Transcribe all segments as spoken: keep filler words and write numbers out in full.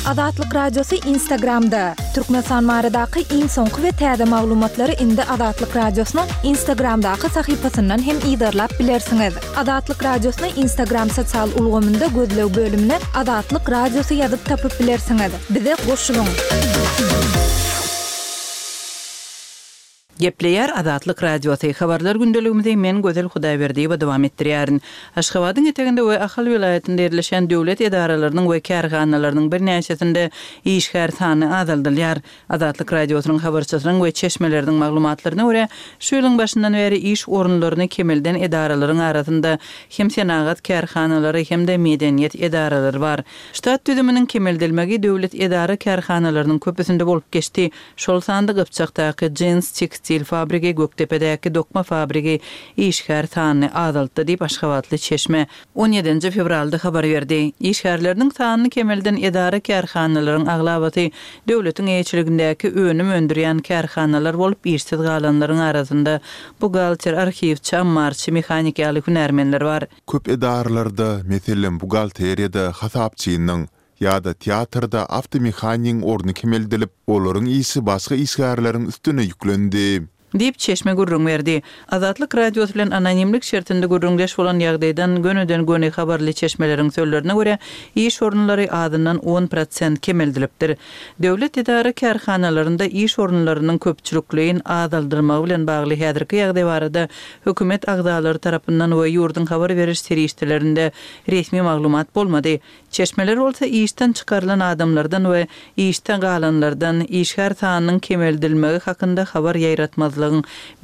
Azatlyk Radiosy Instagramda! Türkmenistan baradaky iň soňky we täze maglumatlary indi Azatlyk Radiosynyň Instagramdaky sahypasyndan hem yzarlap bilersiňiz. Azatlyk Radiosyny Instagram sosial ulgamynda gözleg bölümine Azatlyk Radiosy ýazyp tapyp bilersiňiz. Bize goşulyň! Gepleýär Azatlyk Radiosy, Habarlar gündeligimizi men Gözel Hudaýberdiýewa dowam etdirýärin. Aşgabadyň eteginde we Ahal welaýatynda ýerleşýän döwlet edaralarynyň we kärhanalarynyň birnäçesinde işgär sany azaldylýar. Azatlyk Radiosynyň habarçysynyň we çeşmeleriniň maglumatlaryna görä, şu ýylyň başyndan bäri iş orunlaryny kemelden edaralaryň arasynda hem senagat kärhanalary hem-de medeniýet edaralary bar. Ştat düzüminiň kemeldilmegi döwlet edara-kärhanalarynyň köpüsinde bolup geçdi. Şol sanda Gypjakdaky jins tekstil fabrigi, Gökdepedäki dokma fabrigi işgär sanyny azaltdy diýip, aşgabatly çeşme on ýedinji fewralda habar berdi. Işgärleriniň sanyny kemelden edara-kärhanalaryň aglabasy döwletiň eýeçiligindäki önüm öndürýän kärhanalar bolup, işsiz galanlaryň arasynda buhgalter, arhiwçi, ammarçy, mehanik ýaly hünärmenler bar. Köp edaralarda, meselem, buhgalteriýada hasapçynyň ýa-da teatrda awtomehanigiň orny kemeldilip, olaryň işi başga işgärleriň üstüne ýüklendi. Diýip, çeşme gürrüň berdi. Azatlyk Radiosy bilen anonimlik şertinde gürrüňdeş bolan ýagdaýdan gönüden-göni habarly çeşmeleriň sözlerine görä, iş orunlary azyndan on prosent kemeldilipdir. Döwlet edara-kärhanalarynda iş orunlarynyň köpçülikleýin azaldylmagy bilen bagly häzirki ýagdaý barada hökümet agzalary tarapyndan we ýurduň habar beriş serişdelerinde resmi maglumat bolmady. Çeşmeler bolsa işden çykarylan adamlardan we işde galanlardan işgär sanynyň kemeldilmegi hakynda habar ýaýratmazlygyň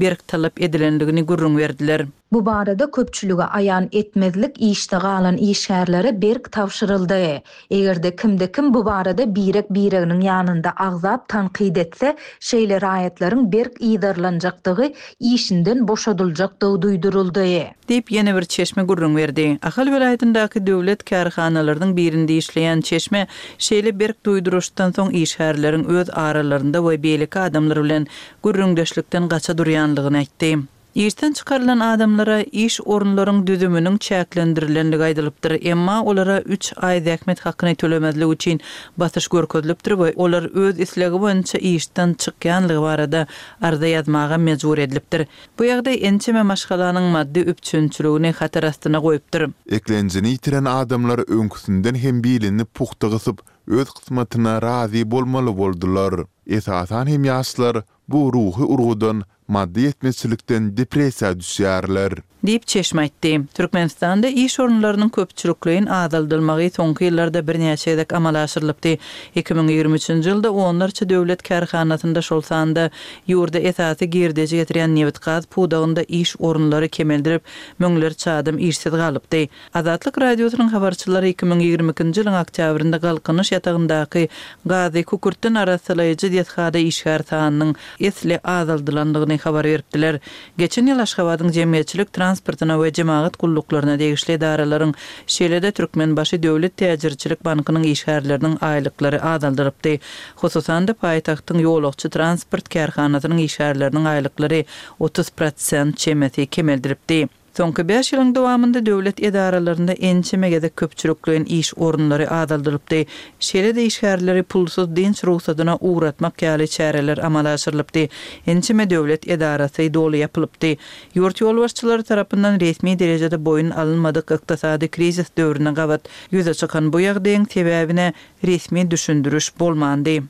berk talap edilendigini gürrüň berdiler. Bu barada köpçülige aýan etmezlik işde galan işgärlere berk tabşyryldy. Eger-de kimde-kim bu barada birek-bireginiň ýanynda agzap tankyt etse, şeýle raýatlaryň berk yzarlanjakdygy, işinden boşadyljakdygy duýduryldy. Diýip, ýene bir çeşme gürrüň berdi. Ahal welaýatyndaky döwlet kärhanalarynyň birinde işleýän çeşme şeýle berk duýduryşdan soň işgärleriň öz aralarynda we beýleki adamlar bilen gürrüňdeşlikden gaça durýanlygyny aýtdy. Işden çykarylan adamlara iş orunlaryň düzüminiň çäklendirilendigi aýdylypdyr, emma olara üç aý zähmet hakyny tölemezlik üçin basyş görkezilipdir we olar öz islegi boýunça işden çykýanlygy barada arza ýazmaga mejbur edilipdir. Bu ýagdaý ençeme maşgalanyň maddy üpjünçiligini hatar astyna goýupdyr. Eklenjini ýitiren adamlar öňküsinden hem bilini pugta gysyp, öz kysmatyna razy bolmaly boldular. Esasan hem ýaşlar bu ruhy urgudan, maddy ýetmezçilikden depressiýa düşýärler. Diýip, çeşme aýtdy. Türkmenistanda iş orunlarynyň köpçülikleýin azaldylmagy soňky ýyllarda birnäçe gezek amala aşyrylypdy. Iki müň ýigrimi üçünji ýylda onlarça döwlet kärhanasynda, şol sanda ýurda esasy girdeji getirýän nebit-gaz pudagynda iş orunlary kemeldilip, müňlerçe adam işsiz galypdy. Azatlyk Radiosynyň habarçylary iki müň ýigrimi ikinji ýylyň oktýabrynda Galkynyş ýatagyndaky gazy kükürtden arassalaýjy desgada işgär sanynyň esli azaldylandygyny habar beripdiler. Geçen ýyl Aşgabadyň jemgyýetçilik transportyna we jemagat gulluklaryna degişli edaralaryň, şeýle-de Türkmenbaşy döwlet täjirçilik bankynyň işgärleriniň aýlyklary azaldylypdy. Hususan-da, paýtagtyň ýolagçy transport kärhanasynyň işgärleriniň aýlyklary otuz prosent çemesi kemeldilipdi. Soňky bäş ýylyň dowamynda döwlet edaralarynda ençeme gezek köpçülikleýin iş orunlary azaldylypdy. Şeýle-de işgärleri pulsuz dynç rugsadyna ugratmak ýaly çäreler amala aşyrylypdy. Ençeme döwlet edarasy doly ýapylypdy. Ýurt ýolbaşçylary tarapyndan resmi derejede boýun alynmadyk ykdysady krizis döwrüne gabat ýüze çykan bu ýagdaýyň sebäbine resmi düşündiriş bolmandy.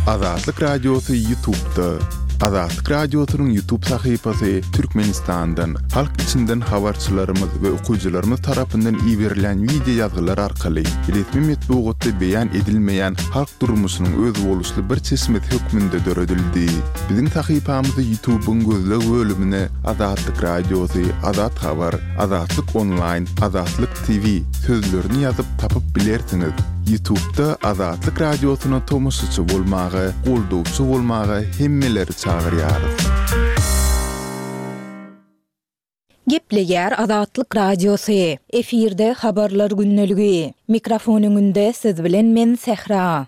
Azatlyk Radiosy YouTube'da. Azatlyk Radiosynyň YouTube sahypasy Türkmenistandan, halk içinden habarçylarymyz we okyjylarymyz tarapyndan iberilen wideo ýazgylar arkaly resmi metbugatda beýan edilmeýän halk durmuşynyň özboluşly bir çeşmesi hökmünde döredildi. Biziň sahypamyzy YouTube'yň gözleg bölümine Azatlyk Radiosy, Azat Habar, Azatlyk Onlaýn, Azatlyk T V sözlerini ýazyp tapyp bilersiňiz. YouTube'da Azatlyk Radiosyna tomaşaçy bolmaga, goldawçy bolmaga hemmeleri çagyrýarys. Gepleýär Azatlyk Radiosy. Efirde habarlar gündeligi. Mikrofon öňünde siz bilen men Sähra.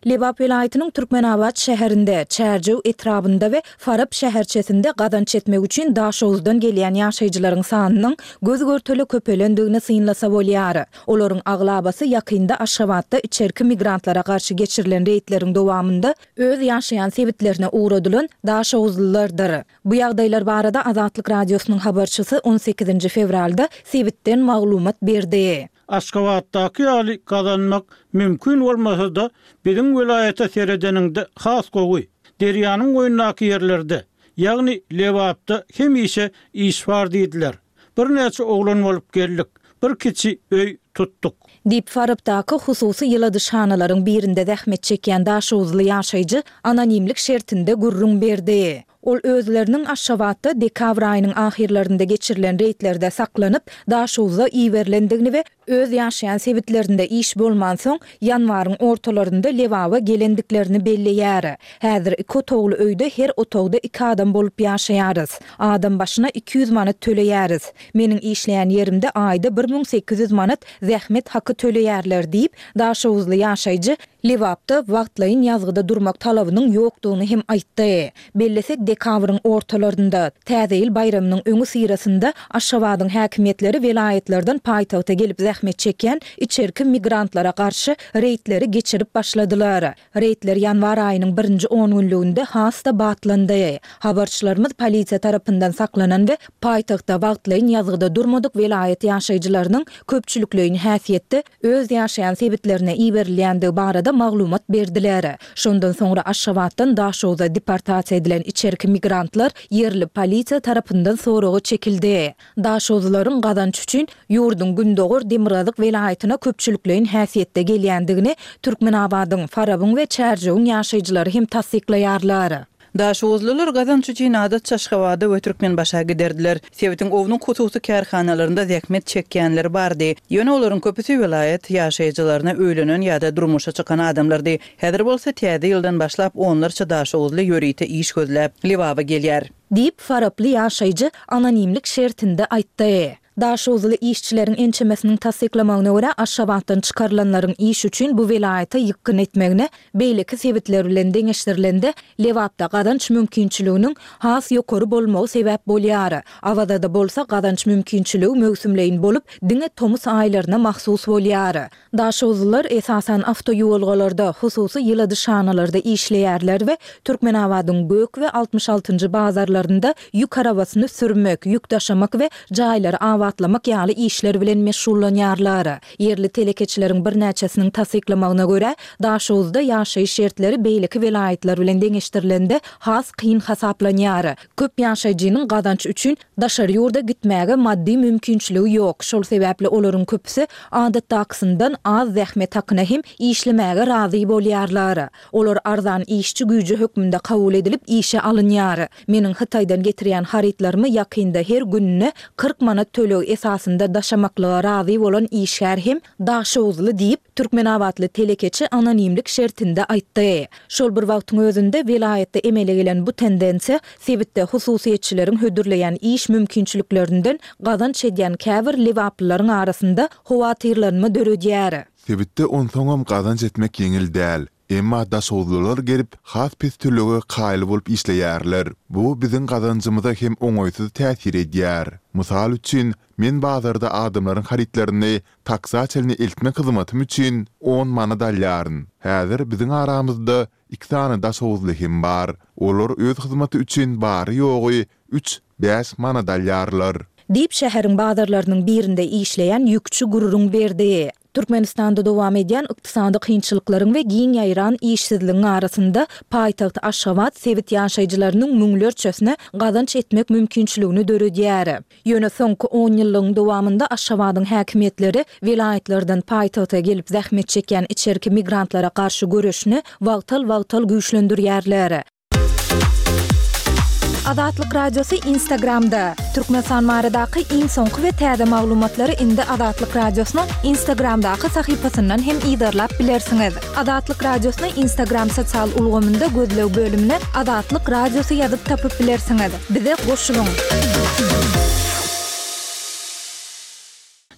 Lebap welaýatynyň Türkmenabat şäherinde, Çärjew etrabynda we Farap şäherçesinde gazanç etmek üçin Daşoguzdan gelýän ýaşaýjylaryň sanynyň göz-görtele köpelendigini synlasa bolýar. Olaryň aglabasy ýakynda Aşgabatda içerki migrantlara garşy geçirilen reýdleriň dowamynda öz ýaşaýan sebitlerine ugradylan daşoguzlylardyr. Bu ýagdaýlar barada Azatlyk Radiosynyň habarçysy on sekizinji fewralda sebitden maglumat berdi. Aşgabatdaky ýaly gazanmak mümkin bolmasa-da, biziň welaýata seredeniňde has gowy. Derýanyň boýundaky ýerlerde, ýagny Lebapda hemişe iş bar diýdiler. Birnäçe oglan bolup geldik, bir kiçi öý tutduk. Diýip, Farapdaky hususy ýyladyşhanalaryň birinde zähmet çekýän daşoguzly ýaşaýjy anonimlik şertinde gürrüň berdi. Ol özleriniň Aşgabatda dekabr aýynyň ahyrlarynda geçirilen reýdlerde saklanyp, Daşoguzda iberilendigini we öz ýaşaýan sebitlerinde iş bolmansoň, ýanwaryň ortalarynda Lebaba gelendiklerini belleýär. Häzir iki otagly öýde her otagda iki adam bolup ýaşaýarys. Adam başyna iki ýüz manat töleýäris. Meniň işleýän ýerimde aýda bir müň sekiz ýüz manat zähmet haky töleýärler diýip, daşoguzly ýaşaýjy Lebapda wagtlaýyn ýazgyda durmak talabynyň ýokdugyny hem aýtdy. Bellesek, dekabryň ortalarynda, Täze ýyl baýramynyň öňüsyrasynda Aşgabadyň häkimiýetleri welaýatlardan paýtagta gelip zähmet çekýän içerki migrantlara garşy reýdleri geçirip başladylar. Reýdler ýanwar aýynyň birinji on günlüginde has-da batlandy. Habarçylarymyz polisiýa tarapyndan saklanan we paýtagtda wagtlaýyn ýazgyda durmadyk welaýat ýaşaýjylarynyň köpçülikleýin häsiýetde öz ýaşaýan sebitlerine iberilýändigi barada maglumat berdiler. Şondan soňra Aşgabatdan Daşogza deportasiýa edilen içerki migrantlar ýerli polisiýa tarapyndan soraga çekildi. Daşoguzlaryň gazanç üçin ýurduň gündogar demirgazyk welaýatyna köpçülikleýin häsiýetde gelýändigini Türkmenabadyň, Farabyň we Çärjewiň ýaşaýjylary hem tassyklaýarlar. Daşoguzlylar gazanç üçin adatça Aşgabada we Türkmenbaşa giderdiler. Sebitiň ownuk hususy kärhanalarynda zähmet çekýänler bardy. Ýöne olaryň köpüsi welaýat ýaşaýjylaryna öýlenen ýa-da durmuşa çykan adamlardy. Häzir bolsa täze ýyldan başlap onlarça daşoguzly ýörite iş gözläp Lebaba gelýär. Diýip, faraply ýaşaýjy anonimlik şertinde aýtdy. Daşoguzly işçileriň ençemesiniň tassyklamagyna görä, Aşgabatdan çykarylanlaryň iş üçin bu welaýata ýykgyn etmegine beýleki sebitler bilen deňeşdirilende Lebapda gazanç mümkinçiliginiň has ýokary bolmagy sebäp bolýar. Awazada bolsa gazanç mümkinçiligi möwsümleýin bolup, diňe tomus aýlaryna mahsus bolýar. Daşoguzlylar esasan awtoýuwalgalarda, hususy ýyladyşhanalarda işleýärler we Türkmenabadyň Gök we altmyş altynjy bazarlarynda ýük arabasyny sürmek, ýük daşamak we jaýlary abatlamak ýaly işler bilen meşgullanýarlar. Ýerli telekeçileriň birnäçesiniň tassyklamagyna görä, Daşoguzda ýaşaýyş şertleri beýleki welaýatlar bilen deňeşdirilende has kyn hasaplanýar. Köp ýaşaýjynyň gazanç üçin daşary ýurda gitmäge maddy mümkinçiligi ýok. Şol sebäpli olaryň köpüsi adatdakysyndan az zähmet hakyna hem işlemäge razy bolýarlar. Olar arzan işçi güýji hökmünde kabul edilip işe alynýar. Meniň Hytaýdan getirýän harytlarymy ýakynda her gününe kyrk manat töleg esasynda daşamaklyga razy bolan işgär hem Daşoguzly diýip, Türkmenabatly telekeçi anonimlik şertinde aýtdy. Şol bir wagtyň özünde welaýatda emele gelen bu tendensiýa sebitde hususyýetçileriň hödürleýän iş mümkinçiliklerinden gazanç edýän käbir lebaplylaryň arasynda howatyrlanma döredýär. Sebitde onsoňam gazanç etmek ýeňil däl. Emma daşoguzlylar gelip, has pes tölege kaýyl bolup işleýärler. Bu biziň gazanjymyza hem oňaýsyz täsir edýär. Mysal üçin, men bazarda adamlaryň harytlaryny taksa çenli eltmek hyzmatym üçin on manat alýaryn. Häzir biziň aramyzda iki sany daşoguzly hem bar. Olar öz hyzmaty üçin bary-ýogy üç-bäş manat alýarlar. Diýip, şäheriň bazarlarynyň birinde işleýän ýükçi gürrüň berdi. Türkmenistanda dowam edýän ykdysady kynçylyklaryň we giň ýaýran işsizligiň arasynda paýtagt Aşgabat sebit ýaşaýjylarynyň müňlerçesine gazanç etmek mümkinçiligini döredýär. Ýöne soňky on ýyllygyň dowamynda Aşgabadyň häkimiýetleri welaýatlardan paýtagta gelip zähmet çekýän içerki migrantlara garşy göreşini wagtal-wagtal güýçlendirýärler. Azatlyk Radiosy Instagramda. Türkmenistan baradaky iň soňky we täze maglumatlary indi Azatlyk Radiosynyň Instagramdaky sahypasyndan hem yzarlap bilersiňiz. Azatlyk Radiosyny Instagram sosial ulgamynda gözleg bölümine Azatlyk Radiosy ýazyp tapyp bilersiňiz. Bize goşulyň!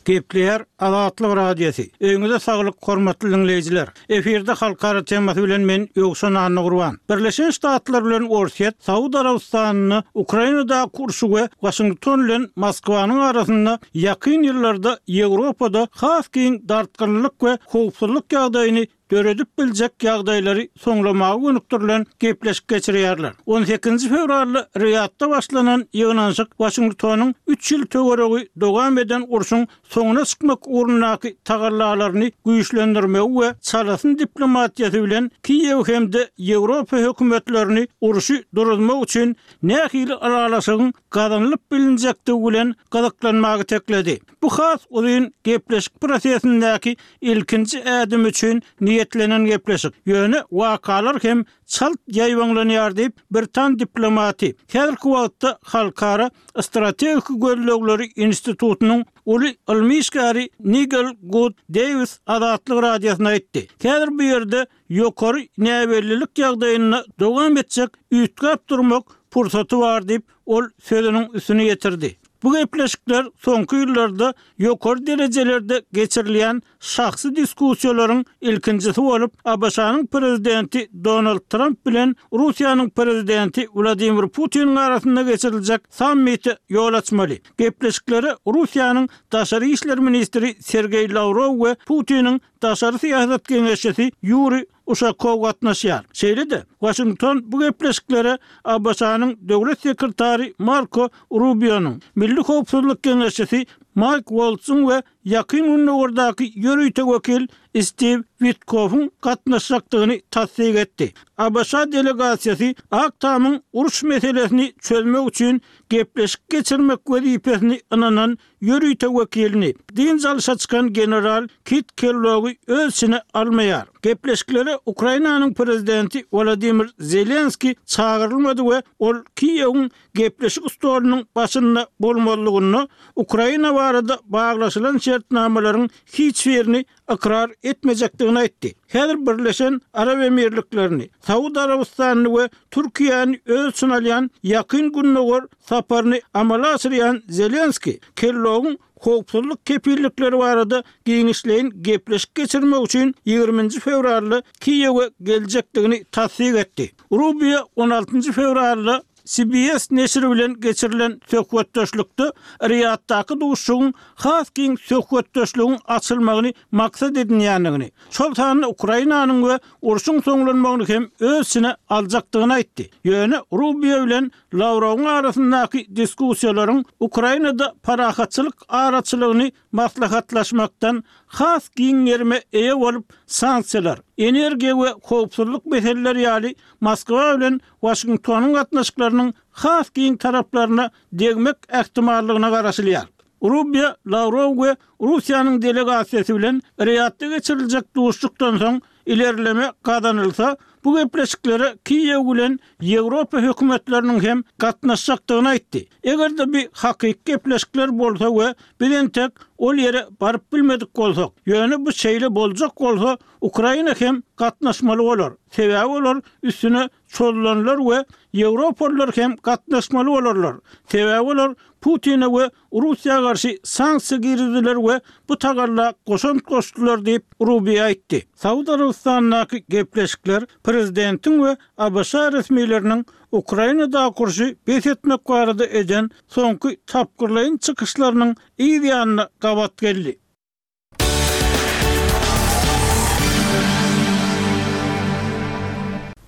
Gepleýär Azatlyk Radiosy. Öýüňize saglyk, hormatly diňleýjiler. Efirde halkara temasy bilen men Ýowşan Annagurban. Birleşen Ştatlar bilen Orsýet Saud Arabystanynda Ukrainadaky urşy we Waşington bilen Moskwanyň arasynda ýakyn ýyllarda Ýewropada has giň dartgynlyk we howpsuzlyk ýagdaýyny döredip biljek ýagdaýlary soňlamaga gönükdirilen gepleşik geçirýärler. On sekizinji fewralda Riýadda başlanan ýygnanyşyk Waşingtonyň üç ýyl töweregi dowam eden urşuň soňuna çykmak ugrundaky tagallalaryny güýçlendirmegi we çalasyn diplomatiýasy bilen Kiýew hem-de Ýewropa hökümetlerini urşy duruzmak üçin nähili ylalaşygyň gazanylyp bilinjekdigi bilen gyzyklanmaga itekledi. Bu has uzyn gepleşik prosesindäki ilkinji ädim üçin niýetlenen gepleşik. Ýöne wakalar hem çalt ýaýbaňlanýar diýip, britan diplomaty, häzirki wagtda Halkara strategik gözlegleri institutynyň uly ylmy işgäri Nigel Gud Dewis Azatlyk Radiosyna aýtdy. Häzir bu ýerde ýokary näbellilik ýagdaýynda dowam etjek üýtgäp durmak pursaty bar diýip, ol sözüniň üstüni ýetirdi. Bu gepleşikler soňky ýyllarda ýokary derejelerde geçirilýän şahsy diskussiýalaryň ilkinjisi bolup, ABŞ-nyň Prezidenti Donald Tramp bilen Russiýanyň Prezidenti Wladimir Putiniň arasynda geçiriljek sammite ýol açmaly. Gepleşiklere Russiýanyň daşary işler ministri Sergeý Lawrow we Putiniň daşary syýasat geňeşçisi Ýuriý Uşakow gatnaşýar. Şeýle-de, Waşington bu gepleşiklere ABŞ-nyň Döwlet sekretary Marko Rubionyň, Milli howpsuzlyk geňeşçisi Maýk Woltzyň we Ýakyn Gündogardaky ýörite wekil Stiw Witkoffyň gatnaşjakdygyny tassyk etdi. ABŞ delegasiýasy Ak Tamyň uruş meselesini çözmek üçin gepleşik geçirmek wezipesini ynanan ýörite wekilini, dynç alşa çykan general Kit Kellogy öz içine almaýar. Gepleşiklere Ukrainanyň prezidenti Wolodymyr Zelenskiý çagyrylmady we ol Kiýewiň gepleşik stolunyň başynda bolmazlygynda Ukraina barada baglaşylan şertnamalaryň hiç birini ykrar etmejekdigini aýtdy. Häzir Birleşen Arap Emirliklerini, Saud Arabystanyny we Türkiýäni öz içine alýan Ýakyn Gündogar saparyny amala aşyrýan Zelenskiý Kellogyň howpsuzlyk kepillikleri barada giňişleýin gepleşik geçirmek üçin ýigriminji fewralda Kiýewe geljekdigini tassyk etdi. Rubio on altynjy fewralda C B S neşiri bilen geçirilen söhbetdeşlikde Riýaddaky duşuşygyň has giň söhbetdeşligiň açylmagyny maksat edinýändigini, şol sanda Ukrainanyň we urşuň soňlanmagyny hem öz içine aljakdygyny aýtdy. Ýöne Rubio bilen Lawrowyň arasyndaky diskussiýalaryň Ukrainada parahatçylyk araçylygyny maslahatlaşmakdan has giň gerime eýe bolup, sanksiýalar, energiýa we howpsuzlyk meseleleri ýaly Moskwa bilen Waşingtonyň gatnaşyklarynyň has giň taraplaryna degmek ähtimallygyna garaşylýar. Rubio, Lawrow we Russiýanyň delegasiýasy bilen Riýadda geçiriljek duşuşykdan soň ilerleme gazanylsa, bu gepleşiklere Kiýew bilen Ýewropa hökümetleriniň hem gatnaşjakdygyny aýtdy. Eger-de bu hakyky gepleşikler bolsa we biz entek ol ýere baryp bilmedik bolsak, ýöne bu şeýle boljak bolsa, Ukraina hem gatnaşmaly bolar, sebäbi olar üstüne çozulanlar we ýewropalylar hem gatnaşmaly bolarlar, sebäbi olar Putine we Russiýa garşy sanksiýa girizdiler we bu tagalla goşant goşdular diýip, Rubio aýtdy. Saud Arabystanyndaky gepleşikler prezidentiň we A B Ş resmileriniň Ukrainadaky urşy bes etmek barada eden soňky tapgyrlaýyn çykyşlarynyň yz ýanyna gabat geldi.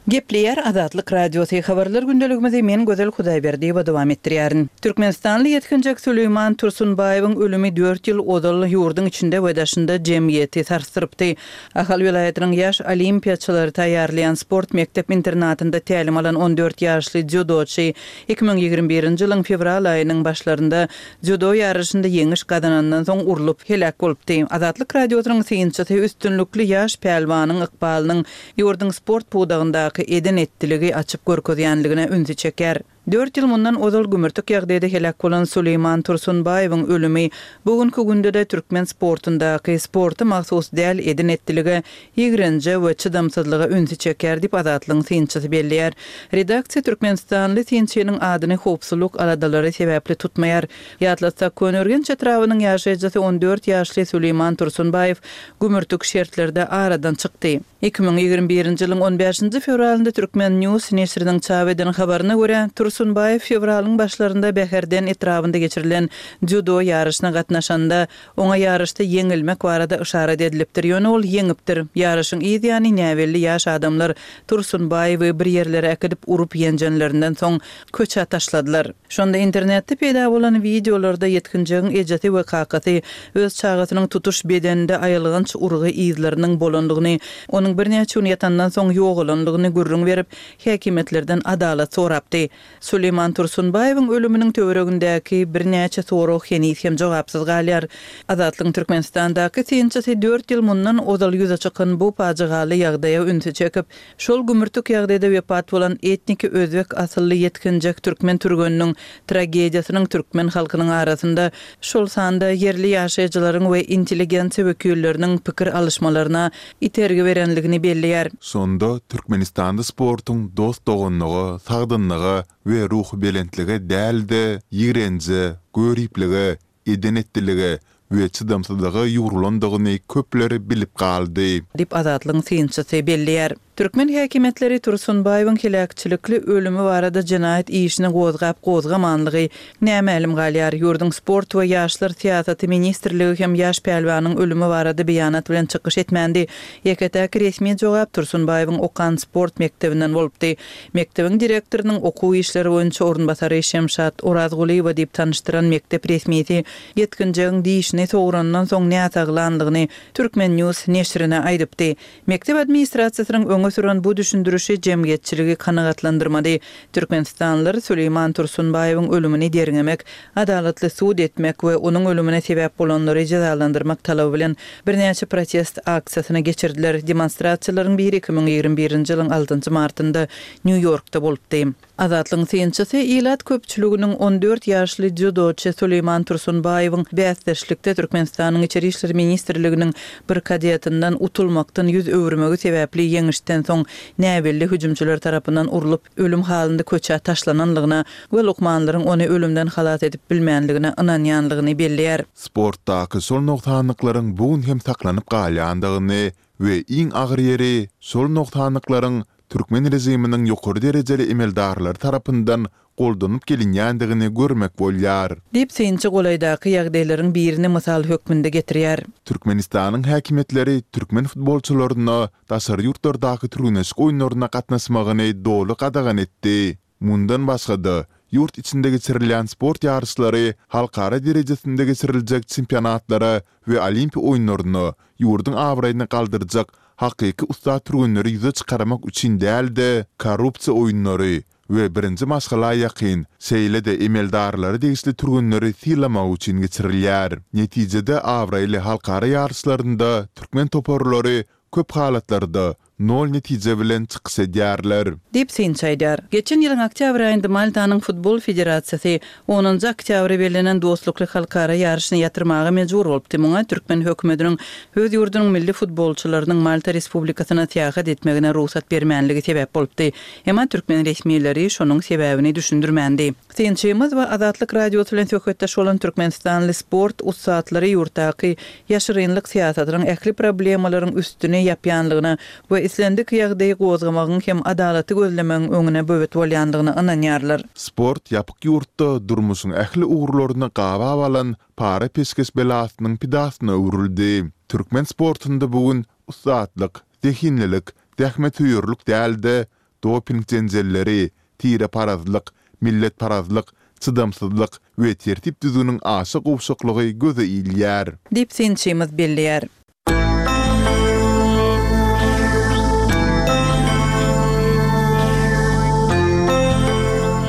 Gepleýär Azatlyk Radiosy, habarlar gündeligimizi men Gözel Hudaýberdiýewa dowam etdirýärin. Türkmenistanly ýetginjek Süleýman Tursunbaýewiň ölümi dört ýyl ozal ýurduň içinde we daşynda jemgyýeti sarsdyrypdy. Ahal welaýatynyň ýaş olimpiýaçylary taýýarlaýan sport mekdep-internatynda tälim alan on dört ýaşly dzýudoçy iki müň ýigrimi birinji ýylyň fewral aýynyň başlarynda dzýudo ýaryşynda ýeňiş gazanandan soň urlup, heläk bolupdy. Azatlyk Radiosynyň synçysy üstünlikli ýaş pälwanyň ykbalynyň ýurduň sport pudagyndaky eden-etdiligi açyp görkezýänligine ünsi çekýär. Dört ýyl mundan ozal gümürtik ýagdaýda heläk bolan Suleýman Tursunbaýewiň ölümi bu günki günde-de türkmen sportundaky sporta mahsus däl eden-etdilige, ýigrenje we çydamsyzlyga ünsi çekýär diýip, Azatlygyň synçysy belleýär. Redaksiýa türkmenistanly synçynyň adyny howpsuzlyk aladalary sebäpli tutmaýar. Ýatlatsak, Köneürgenç etrabynyň ýaşaýjysy on dört ýaşly Suleýman Tursunbaýew gümürtik şertlerde aradan çykdy. Iki müň ýigrimi birinji ýylyň on bäşinji fewralynda Turkmen News neşiriniň çap eden habaryna görä, Tursunbaýew fewralyň başlarynda Bäherden etrabynda geçirilen dzýudo ýaryşyna gatnaşanda, oňa ýaryşda ýeňilmek barada yşarat edilipdir, ýöne ol ýeňipdir. Ýaryşyň yz ýany näbelli ýaş adamlar Tursunbaýewi bir ýerlere äkidip urup-ýenjenlerinden soň, köçä taşladylar. Şonda internetde peýda bolan wideolarda ýetginjegiň ejesi we kakasy öz çagasynyň tutuş bedeninde aýylganç urgy yzlarynyň bolandygyny, onuň birnäçe gün ýatandan soň ýogalandygyny gürrüň berip, häkimiýetlerden adalat sorapdy. Suleýman Tursunbaýewiň ölüminiň töweregindäki birnäçe sorag heniz hem jogapsyz galýar. Azatlygyň Türkmenistandaky synçysy dört ýyl mundan ozal ýüze çykan bu pajygaly ýagdaýa ünsi çekip, şol gümürtik ýagdaýda wepat bolan etniki özbek asylly ýetginjek türkmen türgeniniň tragediýasynyň türkmen halkynyň arasynda, şol sanda ýerli ýaşaýjylaryň we intelligensiýa wekilleriniň pikir alyşmalaryna itergi berenligini belleýär. Şonda Türkmenistanda sportuň dost-doganlyga, sagdynlyga we ruhubelentlige däl-de, ýigrenje, göriplige, eden-etdilige we çydamsyzlyga ýugrulandygyny köpler bilip galdy. Diýip, Azatlygyň synçysy belleýär. Türkmen häkimiýetleri Tursunbaýewiň heläkçilikli ölümi barada jenaýat işini gozgap-gozgamanlygy nämälim galýar. Ýurduň Sport we ýaşlar syýasaty ministrligi hem ýaş pälwanyň ölümi barada beýanat bilen çykyş etmändi. Ýeke-täk resmi jogap Tursunbaýewiň okan sport mekdebinden bolupdy. Mekdebiň direktorynyň okuw işleri boýunça orunbasary Şemşat Orazgulyýewa diýip tanyşdyran mekdep resmisi ýetginjegiň dişini sograndan soň näsaglandygyny Turkmen News neşirine aýdypdy. Mekdep administrasiýasynyň öňe süren bu düşündirişi jemgyýetçiligi kanagatlandyrmady. Türkmenistanlylar Suleýman Tursunbaýewiň ölümini derňemek, adalatly sud etmek we onuň ölümine sebäp bolanlary jezalandyrmak talaby bilen birnäçe protest aksiýasyny geçirdiler. Demonstrasiýalaryň biri iki müň ýigrimi birinji ýylyň altynjy martynda Nýu-Ýorkda bolupdy. Azatlygyň synçysy ilat köpçüliginiň on dört ýaşly dzýudoçy Suleýman Tursunbaýewiň bäsdeşlikde Türkmenistanyň Içeri işler ministrliginiň bir kadetinden utulmakdan ýüz öwürmegi sebäpli ýeňişden soň näbelli hüjümçiler tarapyndan urlup, ölüm halynda köçä taşlananlygyna we lukmanlaryň ony ölümden halas edip bilmänligine ynanýanlygyny belleýär. Sportdaky şol nogsanlyklaryň bu gün hem saklanyp galýandygyny we iň agyr ýeri şol nogsanlyklaryň türkmen režiminiň ýokary derejeli emeldarlary tarapyndan goldanyp gelinýändigini görmek bolýar. Diýip, synçy golaýdaky ýagdaýlaryň birini mysal hökmünde getirýär. Türkmenistanyň häkimiýetleri türkmen futbolçylaryna daşary ýurtlardaky türgenleşik oýunlaryna gatnaşmagyny doly gadagan etdi. Mundan başga-da, ýurt içinde geçirilýän sport ýaryşlary halkara derejesinde geçiriljek çempionatlara we Olimpiýa oýunlaryna ýurduň abraýyny galdyrjak hakyky ussat türgenleri ýüze çykarmak üçin däl-de, korrupsiýa oýunlary we birinji maşgala ýakyn, şeýle-de emeldarlara degişli türgenleri sylamak üçin geçirilýär. Netijede abraýly halkara ýaryşlarynda türkmen toparlary köp halatlarda nol netije bilen çykyş edýärler. Diýip, synçy aýdýar. Geçen ýylyň oktýabr aýynda Maltanyň futbol federasiýasy onunjy oktýabra bellenen dostlukly halkara ýaryşyny ýatyrmaga mejbur bolupdy. Muňa türkmen hökümetiniň öz ýurdunyň milli futbolçylarynyň Malta Respublikasyna syýahat etmegine rugsat bermänligi sebäp bolupdy. Emma türkmen resmileri şonuň sebäbini düşündirmändi. Synçymyz we Azatlyk Radiosy bilen söhbetdeş bolan türkmenistanly sport ussatlary ýurtdaky ýaşyrynlyk syýasatynyň ähli problemalaryň üstüni ýapýanlygyna we islendik ýagdaýy gozgamagyň hem adalaty gözlemegiň öňüne böwet bolýanlygyna ynanýarlar. Sport ýapyk ýurtda durmuşyň ähli ugurlaryny gabap alan para-peşgeş belasynyň pidasyna öwrüldi. Türkmen sportunda bu gün ussatlyk, zehinlilik, zähmetsöýerlik däl-de, doping jenjelleri, tireparazlyk, milletparazlyk, çydamsyzlyk we tertip-düzgüniň aşa gowşaklygy göze ilýär. Diýip, synçymyz belleýär.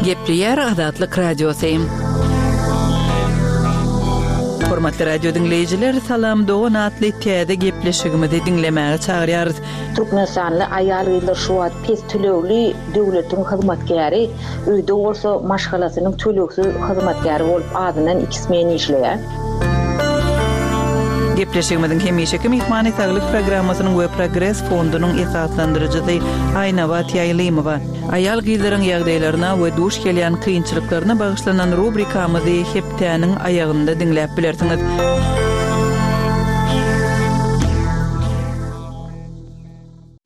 Gepleýär Azatlyk Radiosy. Hormatly radio diňleýjiler, Salam dogan atly täze gepleşigimizi diňlemäge çagyrýarys. Türkmenistanly aýal-gyzlar şu wagt pes tölegli döwletiň hyzmatkäri, öýde bolsa maşgalasynyň tölegsiz hyzmatkäri bolup azyndan iki smen işleýär. Gepleşigimiziň hemişeki myhmany saglyk programmasynyň we Progres fondunyň esaslandyryjysy Aýnabat Ýaýlymowa. Aýal gyzlaryň ýagdaýlaryna we duş gelýän kynçylyklaryna bagyşlanan rubrikamyzy hepdäniň aýagynda diňläp bilersiňiz.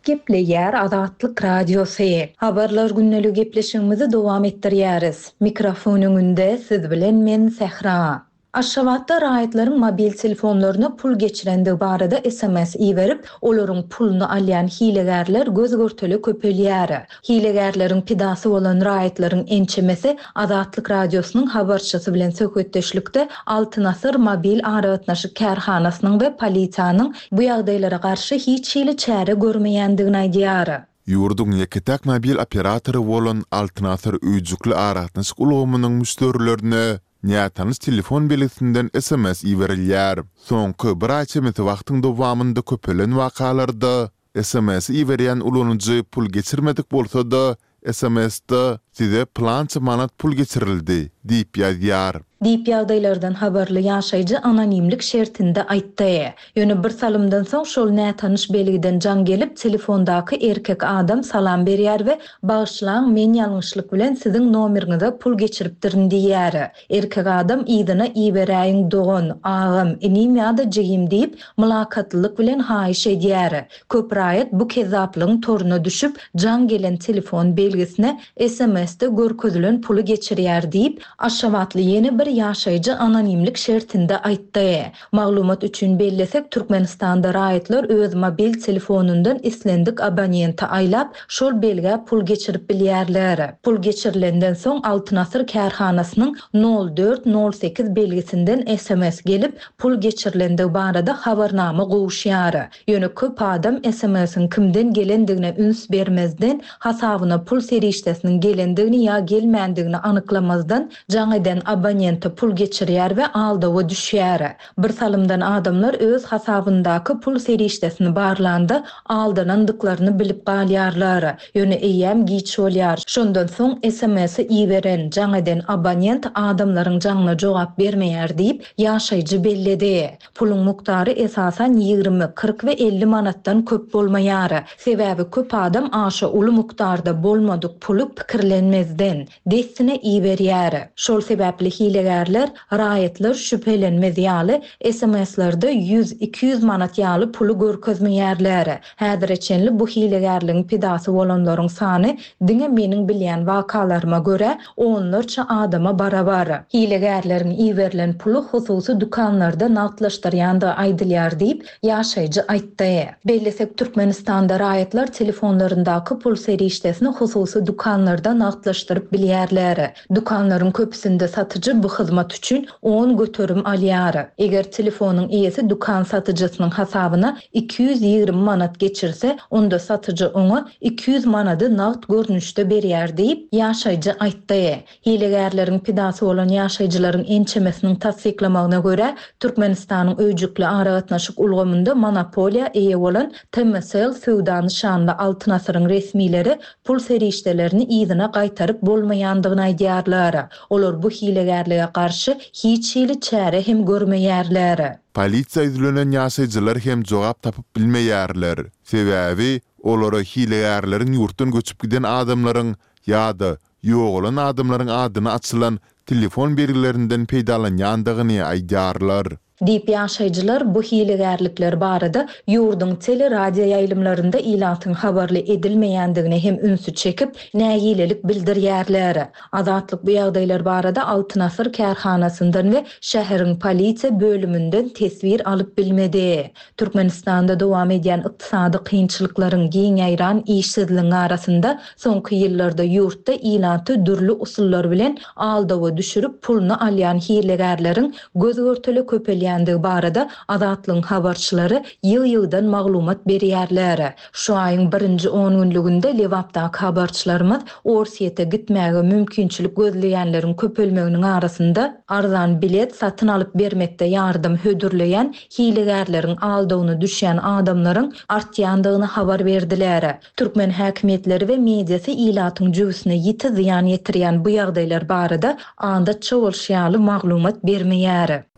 Gepleýär Azatlyk Radiosy. Habarlar gündelik gepleşigimizi dowam etdirýäris. Mikrofon öňünde siz bilen men Sähra. Aşgabatda raýatlaryň mobil telefonlaryna pul geçirendigi barada S M S iberip, olaryň puluny alýan hilegärler göz görtele köpelýär. Hilegärleriň pidasy bolan raýatlaryň ençemesi Azatlyk Radiosynyň habarçysy bilen söhbetdeşlikde Altyn Asyr mobil aragatnaşyk kärhanasynyň we polisiýanyň bu ýagdaýlara garşy hiç hili çäre görmeýändigini aýdýar. Ýurduň ýeke-täk mobil operatory bolan Altyn Asyr öýjükli aragatnaşyk ulgamynyň müşderilerine nätanyş telefon belgisinden S M S iberilýär. Soňky bir aý çemesi wagtyň dowamynda köpelen wakalarda S M S iberýän ulanyjy pul geçirmedik bolsa-da, S M S-de "Size pylança manat pul geçirildi" diýip ýazýar. Diýip ýagdaýlardan habarly ýaşaýjy anonimlik şertinde aýtdy. Ýöne bir salymdan soň şol nätanyş belgiden jaň gelip, telefondaky erkek adam salam berýär we "Bagyşlaň, men ýalňyşlyk bilen siziň nomeriňize pul geçiripdirin" diýýär. Erkek adam yzyna "Iberäýiň dogan, agam, inim ýa-da jigim" diýip, mylakatlylyk bilen haýyş edýär. Köp raýat bu kezzaplygyň toruna düşüp, jaň gelen telefon belgisine S M S-de görkezilen puly geçirýär diýip, Aşgabatly ýene bir ýaşaýjy anonimlik şertinde aýtdy. Maglumat üçin bellesek, Türkmenistanda raýatlar öz mobil telefonundan islendik abonente aýlap, şol belgä pul geçirip bilýärler. Pul geçirilenden soň Altyn Asyr kärhanasynyň nol dört nol sekiz belgisinden S M S gelip, pul geçirilendigi barada habarnama gowuşýar. Ýöne köp adam S M S-iň kimden gelendigine üns bermezden, hasabyna pul serişdesiniň gelendigini ýa gelmändigini anyklamazdan jaň eden abonente pul geçirýär we aldawa düşýär. Bir salymdan adamlar öz hasabyndaky pul serişdesini barlanda aldanandyklaryny bilip galýarlar. Ýöne eýýäm giç bolýar. Şondan soň S M S-i iberen, jaň eden abonent adamlaryň jaňyna jogap bermeýär diýip, ýaşaýjy belledi. Puluň mukdary esasan ýigrimi, kyrk we elli manatdan köp bolmaýar. Sebäbi köp adam aşa uly mukdarda bolmadyk puly pikirlenmezden dessine iberýär. Şol sebäpli hilegärler raýatlar şübhelenmez ýaly S M S-lerde ýüz, iki ýüz manat ýaly puly görkezmeýärler. Häzire çenli bu hilegärligiň pidasy bolanlaryň sany diňe meniň bilýän wakalaryma görä onlarça adama barabar. Hilegärleriň iberilen puly hususy dükanlarda nagtlaşdyrýandygy aýdylýar diýip, ýaşaýjy aýtdy. Bellesek, Türkmenistanda raýatlar telefonlaryndaky pul serişdesini hususy dükanlarda nagtlaşdyryp bilýärler. Dükanlaryň köpüsinde satyjy bu hyzmat üçin on göterim alýar. Eger telefonyň eýesi dükan satyjysynyň hasabyna iki ýüz ýigrimi manat geçirse, onda satyjy oňa iki ýüz manady nagt görnüşde berýär diýip, ýaşaýjy aýtdy. Hilegärleriň pidasy bolan ýaşaýjylaryň ençemesiniň tassyklamagyna görä, Türkmenistanyň öýjükli aragatnaşyk ulgamynda monopoliýa eýe bolan T M S L söwda nyşanly Altyn Asyryň resmileri pul serişdelerini yzyna gaýtaryp bolmaýandygyny aýdýarlar. Olar bu hilegärlige garşy hiç hili çäre hem görmeýärler. Polisiýa ýüzlenen ýaşaýjylar hem jogap tapyp bilmeýärler. Sebäbi olara hilegärleriň ýurtdan göçüp giden adamlaryň ýa-da ýogalan adamlaryň adyny açylan telefon belgilerinden peýdalanýandygyny aýdýarlar. Diýip ýaşaýjylar bu hilegärlikler barada ýurduň teleradio ýaýlymlarynda ilatyň habarly edilmeýändigine hem ünsi çekip, nägilelik bildirýärler. Azatlyk bu ýagdaýlar barada Altyn Asyr kärhanasyndan we şäheriň polisiýa bölüminden teswir alyp bilmedi. Türkmenistanda dowam edýän ykdysady kynçylyklaryň giň ýaýran işsizligiň arasynda soňky ýyllarda ýurtda ilaty dürli usullar bilen aldawa düşürip puluny alýan hilegärleriň göz görtele köpelýändigini köpelýändigi barada Azatlygyň habarçylary ýygy-ýygydan maglumat berýärler. Şu aýyň birinji on günlüginde Lebapdaky habarçylarymyz Orsýete gitmäge mümkinçilik gözleýänleriň köpelmeginiň arasynda arzan bilet satyn alyp bermekde ýardam hödürleýän hilegärleriň aldawyna düşýän adamlaryň artýandygyny habar berdiler. Türkmen häkimiýetleri we mediasy ilatyň jübüsine ýiti zyýan ýetirýän bu ýagdaýlar barada adatça bolşy ýaly maglumat bermeýär.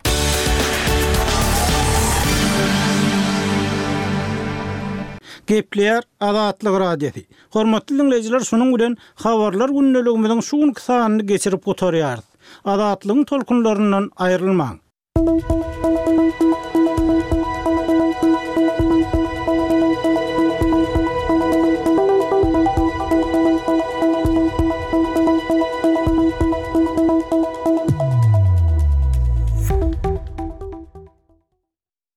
Gepleýär Azatlyk Radiosy. Hormatly diňleýjiler, şunuň bilen Habarlar gündeligimiziň şu günki sanyny geçirip gutarýarys. Azatlygyň tolkunlaryndan aýrylmaň.